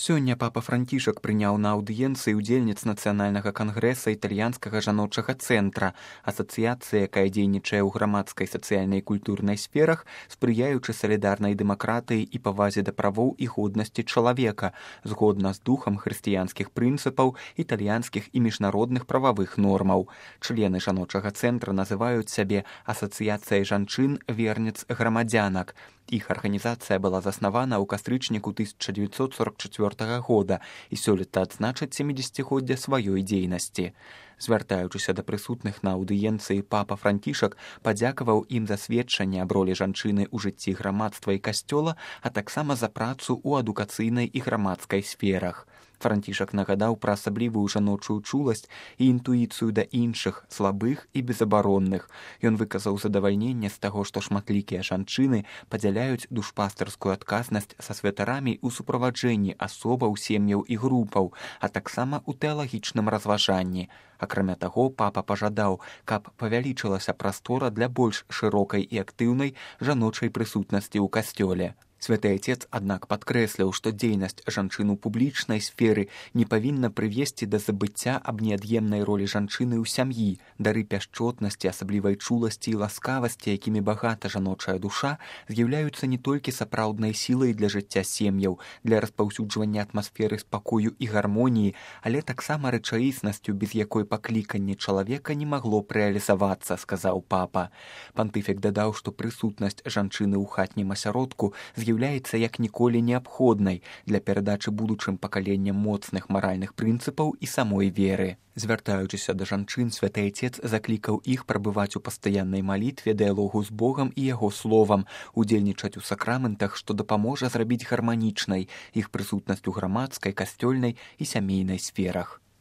Сёння папа Францішак прыняў на аўдыенцыі ўдзельніц нацыянальнага кангрэса італьянскага жаночага цэнтра, асацыяцыі, якая дзейнічае ў грамадскай сацыяльнай і культурнай сферах, спрыяючы салідарнай дэмакратыі і павазе да правоў і годнасці чалавека, згодна з духам хрысціянскіх прынцыпаў, італьянскіх і міжнародных прававых нормаў. Члены жаночага цэнтра называюць сябе асацыяцыяй жанчын верніц грамадзянак. Іх арганізацыя была заснавана ў кастрычніку 1944 года і сёлета адзначыць 70-годдзе сваёй дзейнасці. Звяртаючыся да прысутных на аўдыенцыі, папа Францішак падзякаваў ім за сведчанне аб ролі жанчыны ў жыцці грамадства і касцёла, а таксама за працу ў адукацыйнай і грамадскай сферах. Францішак нагадаў пра асаблівую жаночую чуласць і інтуіцыю да іншых, слабых і безабаронных. Ён выказаў задавальненне з таго, што шматлікія жанчыны падзяляюць душпастарскую адказнасць са святарамі ў суправаджэнні асобаў, сем'яў і групаў, а таксама ў тэалагічным разважанні. Акрамя таго, папа пажадаў, каб павялічылася прастора для больш шырокай і актыўнай жаночай прысутнасці ў касцёле. Святы Отец, аднак, падкрэсліў, што дзейнасць жанчын у публічнай сферы не павінна прывесці да забыцця аб неад'емнай ролі жанчыны ў сям'і. Дары пяшчотнасці, асаблівай чуласці і ласкавасці, якімі багата жаночая душа, з'яўляюцца не толькі сапраўднай сілай для жыцця сем'яў, для распаўсюджвання атмасферы спакою і гармоніі, але таксама рэчаіснасцю, без якой пакліканне чалавека не магло б рэалізавацца, сказаў папа. Пантыфік дадаў, што прысутнасць жанчыны ў хатнім асяродку з'яўляецца як ніколі неабходнай для перадачы будучым пакаленням моцных маральных прынцыпаў і самой веры. Звяртаючыся да жанчын, Святы Отец заклікаў іх прабываць у пастаяннай малітве, дыялогу з Богам і яго словам, удзельнічаць у сакраментах, што дапаможа зрабіць гарманічнай іх прысутнасць у грамадскай, касцёльнай і сямейнай сферах.